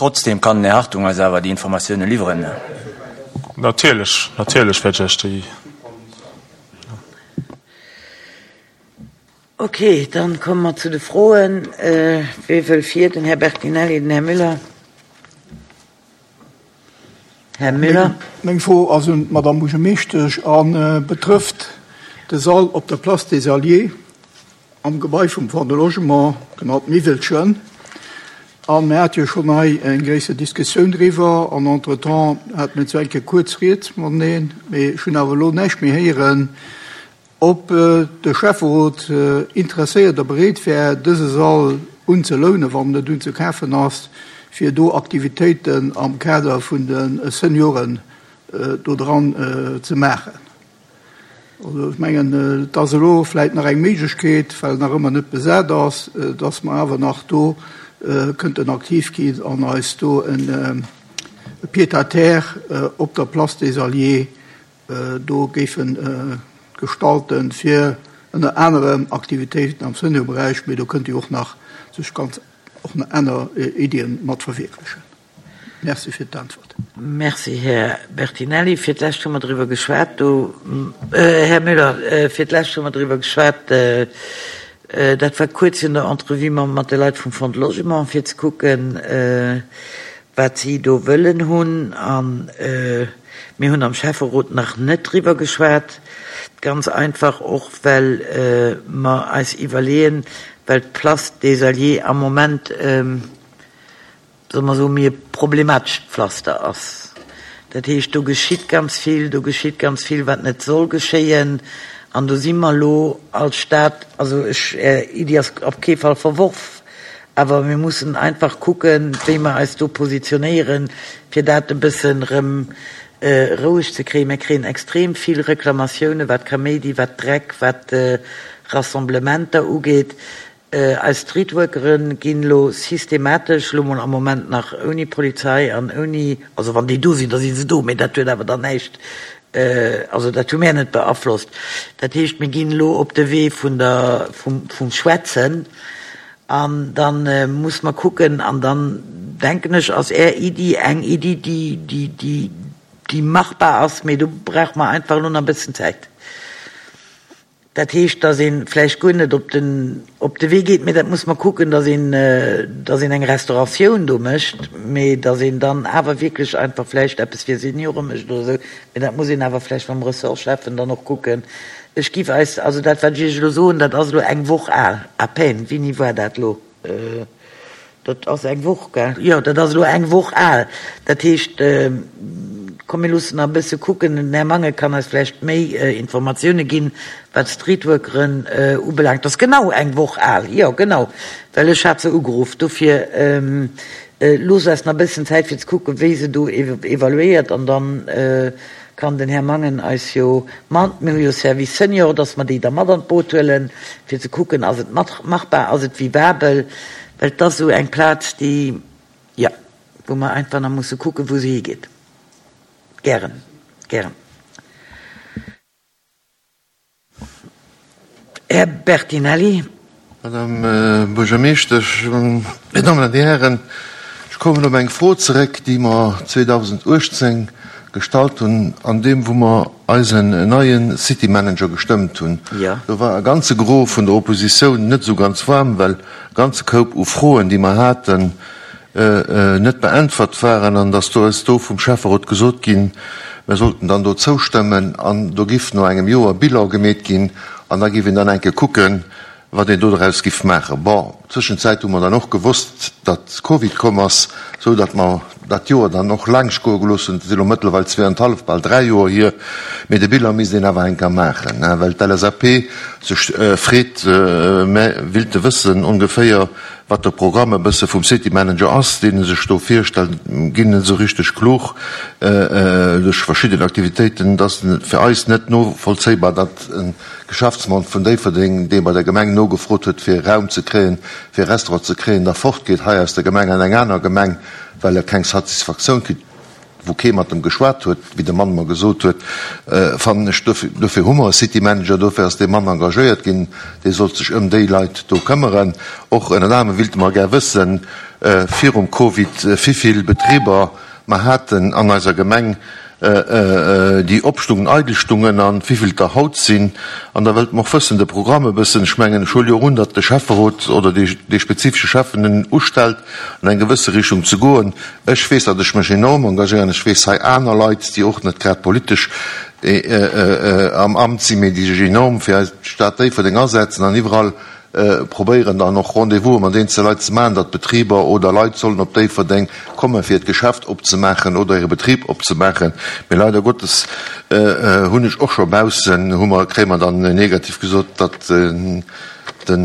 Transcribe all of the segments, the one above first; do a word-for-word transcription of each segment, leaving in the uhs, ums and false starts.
Trotzdem kann den Här Hartung eis awer déi Informatioune liwweren. Natierlech, natierlech wäert ech Iech déi. Okay, dann komme mer zu de Froen. Wie wëll vir? Den Här Bertinelli, den Här Müller. Här Müller. Meng Fro ass un d'Madame Buergermeeschtesch a betrëfft de Sall op der Place des Alliés am Gebai vum Fonds de Logement, genannt Miwwelchen. A mir hate jo schonn hei eng gréisser Diskussioun driwwer an entretemps hate mir zwar eng Kéier kuerz Rieds mateneen, mee ech hunn awer elo näischt méi héieren, ob de Schäfferot interesséiert a bereet wär, dëse Sall unzelounen, wann en net unzekafen ass, fir do Aktivitéiten am Kader vun de Senioren do dran ze maachen. Also ech mengen, et ass elo vläicht nach eng Méiglechkeet, well en nach ëmmer net besat ass, dass mer awer nach do kënnten aktiv ginn an eis do e Pied-à-terre op der Place des Alliés do géife gestalten, fir ënner anerem Aktivitéiten am Seniorberäich, mee do kënnt Dir och nach sech ganz och nach aner Iddien mat verwierklechen. Merci fir d'Äntwert. Merci, Här Bertinelli. Fir d'lescht hu mer driwwer geschwat do, Här Müller, fir d'lescht hu mer driwwer geschwat, dat war kuerz virun der Entrevue mat de Leit vum Fonds de Logement, fir ze kucken, wat si do wëllen hunn. A mir hunn am Schäfferot nach net driwwer geschwat, ganz einfach och, well mer eis iwwerleeën, well d'Place des Alliés am Moment, solle mer soen, méi e problematescht Pflaster ass. Dat heescht, do geschitt ganz vill, do geschitt ganz vill, wat net soll geschéien. An do si mer elo als Stad, also ech, Är Iddi ass op kee Fall verworf, awer mir mussen einfach kucken, wéi mer eis do positionéieren, fir dat e bëssen erëm roueg ze kréien. Mir kréien extrem vill Reklamatiounen, wat Kaméidi, wat Dreck, wat Rassemblementer ugeet. Eis Streetworkere ginn elo systematesch, elo mol am Moment nach ouni Polizei an ouni, also wann déi do sinn, da si se do, mee dat huet awer dann näischt, also dat hu mär net beaflosst. Dat heescht, mir ginn elo op de Wee vun der, vum, vum Schwätzen an da muss mer kucken an dann, denken ech, ass Är Iddi eng Iddi, déi, déi, déi, déi machbar ass, mee do brauche mer einfach elo nach e bëssen Zäit. Dat heescht, datt ee vläicht guer net op den, op de Wee geet, mee dat muss mer kucken, datt een, datt een eng Restauratioun do mécht, mee datt een dann awer wierklech einfach vläicht eppes fir Seniore mécht oder esou. Mee dat muss een awer vläicht mam Ressortschäffen dann och kucken. Ech giff eis, also dat wat ech Iech elo soen, dat ass elo eng Woch al, à peine. Wéini war dat elo? Dat ass eng Woch, gell? Jo, dat ass elo eng Woch al. Dat heescht, komm mir loossen nach e bësse kucken. Den Här Mangen kann eis vläicht méi Informatioune ginn, wat d'Streetworkeren ubelaangt. Dat ass genau eng Woch al, jo genau, well ech hat se ugeruff. Dofir loosst eis nach e bëssen Zäit fir ze kucken, wéi se do evaluéiert an dann kann den Här Mangen eis jo mat, mir hu jo Service Senior, dass mer déi da mat an d'Boot huelen, fir ze kucken, ass et machbar, ass et vivabel, well et ass esou eng Plaz, déi, jo, wou mer einfach nach musse kucken, wou se higeet. Gären, gären. Här Bertinelli. Madame Buergermeeschtesch, Dir Dammen an Dir Hären, ech kommen op eng Fro zeréck, déi mer zweedausenduechtzéng gestallt hunn, an deem wou mer eisen neie City Manager gestëmmt hunn. Do war e ganze Gros vun der Oppositioun net esou ganz waarm, well e ganze Koup u Froen, déi mer haten, net beäntwert waren an dass do eis do vum Schäfferot gesot ginn, mer sollten dann do zoustëmmen an do giff no engem Joer Bilan gemeet ginn an da giff een dann eng Kéier kucken, wat een do doraus giff maachen. Bon, tëschenzäit hu mer dann och gewosst, datt Covid komm ass, sou datt mer dat Joer dann och laangscht goe gelooss hunn. Et si lo mëttlerweil zweeanenhallef, bal dräi Joer hier, mee de Bilan misst een awer eng Kéier maachen, well d'L S A P sech freet, mä willte wëssen ongeféier, wat de Programm e bësse vum City Manager ass, deen e sech do virstellt, ginn net esou richteg klug duerch verschidden Aktivitéiten. Et ass fir eis net novollzéibar, datt e Geschäftsmann vun Déifferdeng, dee bei der Gemeng nogefrot huet, fir Raum ze kréien, fir e Restaurant ze kréien, da fortgeet hei aus der Gemeng an eng aner Gemeng, well e keng Satisfaktioun kritt. wou kee mat em geschwat huet, wéi de Mann mer gesot huet, fannen ech, dofir hu mer e City Manager, dofir ass dee Mann engagéiert ginn, dee sollt sech ëm déi Leit do këmmeren. Och ënnert anerem wéilte mer gär wëssen, virum Covid, wivill Betriber mer haten an eiser Gemeng, déi opstungen, eidel stungen, an wivill der haut sinn. An da wëllt mer och wëssen, de Programm e bëssen, ech mengen, ech huele jo och un, datt de Schäfferot oder dee spezifesche Schäffen en ustellt, an eng gewësse Richtung ze goen. Ech weess, datt ech mech enorm engagéieren. Ech weess hei aner Leit, déi och net grad politesch am Amt sinn, mee déi sech enorm fir eis Stad Déifferdeng asetzen an iwwerall probéieren dann och Rendez-vouse mat eenzele Leit ze maachen, datt Betriber oder Leit sollen op Déifferdeng kommen, fir hiert Geschäft opzemaachen oder hire Betrib opzemaachen. Mee leider Gottes hunn ech och scho baussen, hu mer, kréie mer dann negativ gesot, datt de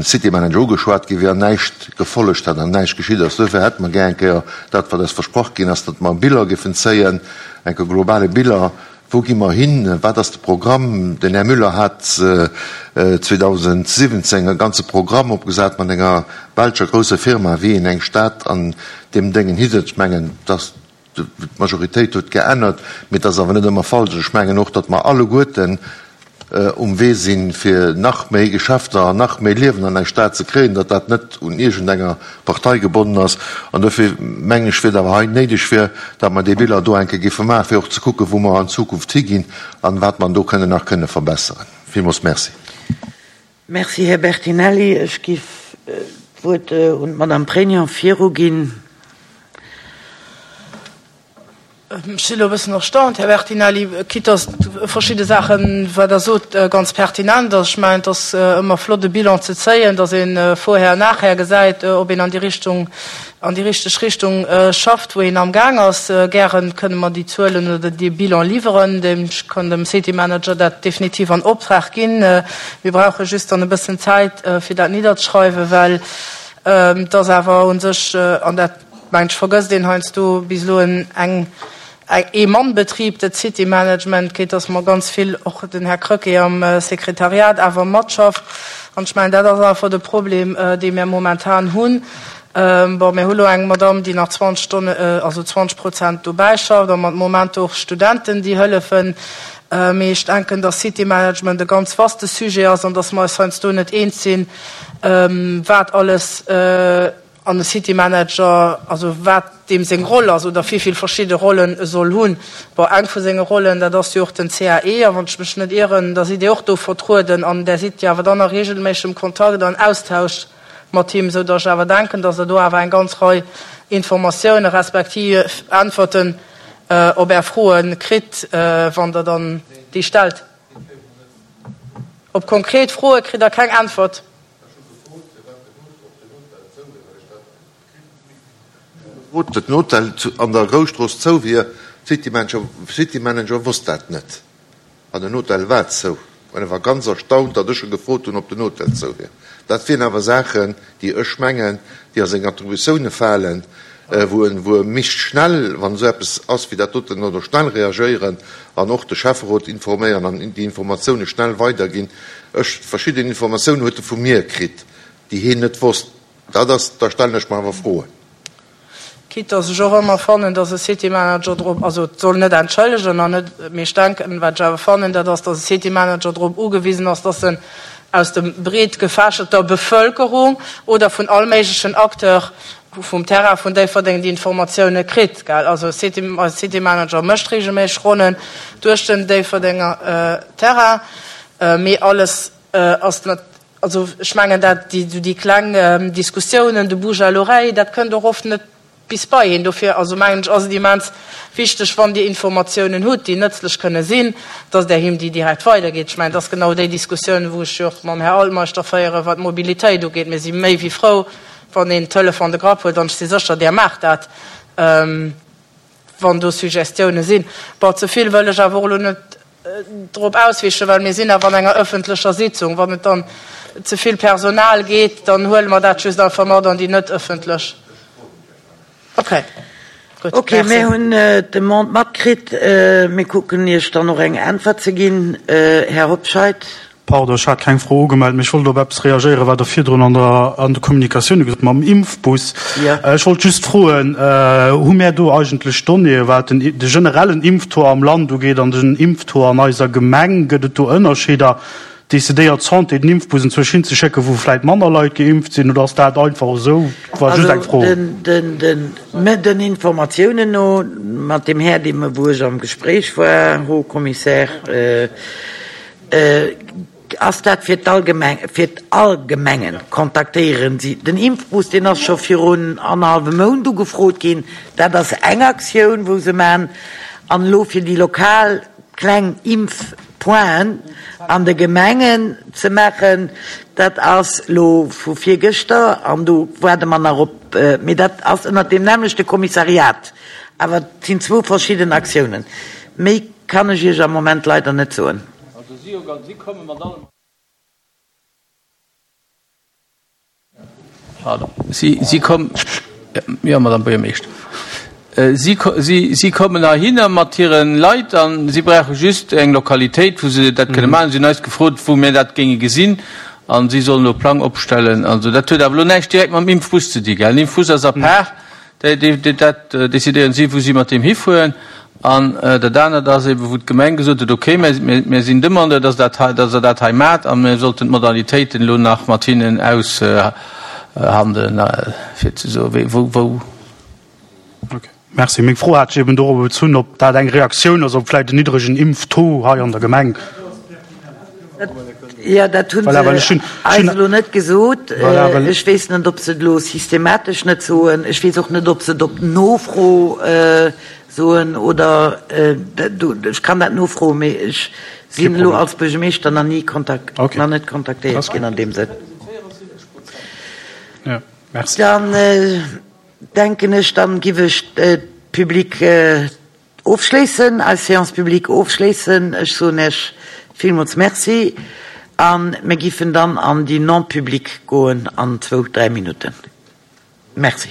City Manager ugeschwat gi wier an näischt gefollegt hätt an näischt geschitt ass. Duerfir hätte mer gär eng Kéier dat, wat eis versprach ginn ass, datt mer Bilan géifen zéien, eng Kéier globale Bilan, Wou gi mer hin? Wat ass de Programm? Den Här Müller hat zweedausendsiwwenzéng e ganze Programm opgesat mat enger belscher grousser Firma, wéi een eng Stad an deem Déngen hisetzt. Ech mengen, dass d'Majoritéit huet geännert, mee et ass awer net ëmmer falsch. Ech mengen och, datt mer alleguerten um Wee sinn, fir nach méi Geschäfter an nach méi Liewen an eng Stad ze kréien, datt dat net un iergendenger Partei gebonnen ass. An dofir mengen ech, wier et awer hei néideg wier, datt mer dee Bilan do eng Kéier géife maachen, fir och ze kucken, wou mer an Zukunft higinn an wat mer do kënnen nach kënne verbesseren. Villmools Merci. Merci, Här Bertinelli. Ech géif d'Wuert un d'Madame Pregno viruginn. Ech sinn elo e bëssen erstaunt, Här Bertinelli, quitte dass verschidde Saachen, wat Der sot, ganz pertinent ass. Ech mengen, et ass ëmmer flott, e Bilan ze zéien, dass ee vorher, nachher gesäit, ob een an déi Richtung, an déi richteg Richtung schafft, wou een amgaang ass. Gäre kënne mer déi Zuelen oder dee Bilan liwweren. Ech kann dem City Manager dat definitiv an Optrag ginn. Mir brauche just dann e bëssen Zäit, fir dat nidderzeschreiwen, well et ass awer u sech, an dat, mengen ech, vergësst een heiansdo, bis elo en eng Ee-Mann-Betrib, dat City Management, quitte dass mer ganz vill, och den Här Krecké am Sekretariat, awer matschafft. An ech mengen, dat ass einfach de Problem, dee mir momentan hunn. Bon, mir hu lo eng Madamm, déi nach zwanzeg Stonnen, also zwanzeg Prozent dobäi schafft, a mat Moment och Studenten, déi hëllefen. Mee ech denken, dass City Management e ganz vaste Sujet ass an dass mer eis heiansdo net eens sinn, wat alles an e City Manager, also wat deem seng Roll ass oder wéi vill verschidde Rollen e soll hunn. Bon, eng vu senge Rollen, dat ass jo och den C A E, a wann ech mech net ieren, da sidd Dir och do vertrueden an där sidd Dir awer dann a regelméissegem Kontakt an Austausch mat him, esou datt ech awer denken, datt Der do awer eng ganz Rei Informatioune respektiv Äntwerten op Är Froe kritt, wann Der dann déi stellt. Op konkret Froe kritt Der keng Äntwert. Gefrot, den Hotel an der Groustrooss zou wier. City Manager wosst dat net. An den Hotel war zou. An e war ganz erstaunt, datt ech e gefrot hunn, ob den Hotel zou wier. Dat wieren awer Saachen, déi ech mengen, déi a seng Attributioune falen, wou en, wou e misst schnell, wann esou eppes ass wéi dat doten, oder schnell reagéieren an och de Schäfferot informéieren an déi Informatioune schnell weiderginn. Ech, verschidden Informatioune huet e vu mir kritt, déi heen net wosst. Dat ass, da stellen ech mer awer Froen. Quitte dass ech och ëmmer fannen, dass e City Manager drop, also et soll net entschëllegen an net, mee ech denken, wat ech awer fannen, dat ass, dass e City Manager drop ugewisen ass, dass en aus dem breet gefächerter Bevölkerung oder vun all méiglechen Acteur vum Terrain vun Déifferdeng déi Informatioune kritt, gell. Also City, eise City Manager mécht regelméisseg Ronnen duerch den Déifferdenger Terrain, mee alles ass net, also ech mengen dat, déi, déi kleng Diskussiounen, de Bouche à l'oreille, dat kënnt och oft net bis bei een. Dofir also mengen ech, ass et immens wichteg, wann Dir Informatiounen hutt, déi nëtzlech kënne sinn, dass Der him déi direkt weidergitt. Ech mengen, dat ass genau déi Diskussioun, wou ech jo och mam Här Altmeister féieren, wat d'Mobilitéit ugeet. Mir si méi wéi frou, wann een Telefon de Grapp huet, an ech si sécher, Der maacht dat, wann do Suggestiounen sinn. Bon, ze vill wëll ech awer och elo net drop auswichen, well mir sinn awer an enger ëffentlecher Sitzung. Wann et dann ze vill Personal geet, dann huele mer dat just einfach mat an déi net ëffentlech. Okay. Gutt, Okay, merci. mir hunn d'Demande matkritt. Mir kucken Iech dann och eng Äntwert ze ginn. Här Hobscheit. Pardon, ech hat keng Fro ugemellt, mee ech wollt op eppes reagéieren, wat Der virdrun an der, an de Kommunikatioune gesot hutt mam Impfbus. Ech wollt just froen, Hu mär do eigentlech Donnéeë wat den, de generellen Impftaux am Land ugeet an den Impftaux an eiser Gemeng? Gëtt et do Ënnerscheeder? Decidéiert d'Santé den Impfbus enzwousch hinzeschécken, wou vläit manner Leit geimpft sinn, oder ass dat einfach esou? War just eng Fro. Also den Informatiounen no, mat deem Här, deem, wou ech am Gespréich war, Haut Commissaire, ass dat fir d'allgemeng, fir all Gemengen kontaktéieren si. Den Impfbus, deen ass scho virun annerhallwem Mount ugefrot ginn. Dat ass eng Aktioun, wou se maachen. An elo fir déi lokal kleng Impfpointen an de Gemengen ze maachen, dat ass elo vu virgëschter an do waarde mer nach op, mee dat ass ënnert deem nämmlechte Kommissariat. Awer et sinn zwou verschidden Aktiounen. Méi kann ech Iech am Moment leider net soen. Also si komme mat allem. Pardon. Si, si kommen, jo, Madame Buergermeeschter. Si, si, si kommen heihinner mat hire Leit a si brauche just eng Lokalitéit, wou se dat kënne maachen. Si hunn eis gefrot, wou mir dat géinge gesinn a si sollen elo e Plang opstellen. Also dat huet awer elo näischt direkt mam Impfbus ze di, gell? Den Impfbus ass à part. Dat decidéieren si, wou si mat deem hifueren. An dat anert ass eeben, wou d'Gemeng gesot huet, okay, mir sinn Demandeur, dass dat hei, dass Der dat hei maacht a mir sollten d'Modalitéiten elo nach mat hinnen aushandelen, fir ze soen, wéi, wou, wou. Okay, merci. Meng Fro hat sech eeben dorobber bezunn, ob dat eng Reaktioun ass op vläicht en niddregen Impftaux hei an der Gemeng. Jo, dat hu se eis elo net gesot. Ech weess net, ob se et elo systematesch net soen. Ech weess och net, ob se et op Nofro soen oder ech kann dat nofroen, mee ech sinn elo als Buergermeeschter nach ni nach net kontaktéiert ginn an deem Sënn. Dann denken ech, dann giff ech d'Public Ofschléissen, eis Séance publique ofschléissen. Ech soen Iech villmools Merci a mir giffen dann an déi Non-publique goen an zwou, dräi Minutten. Merci.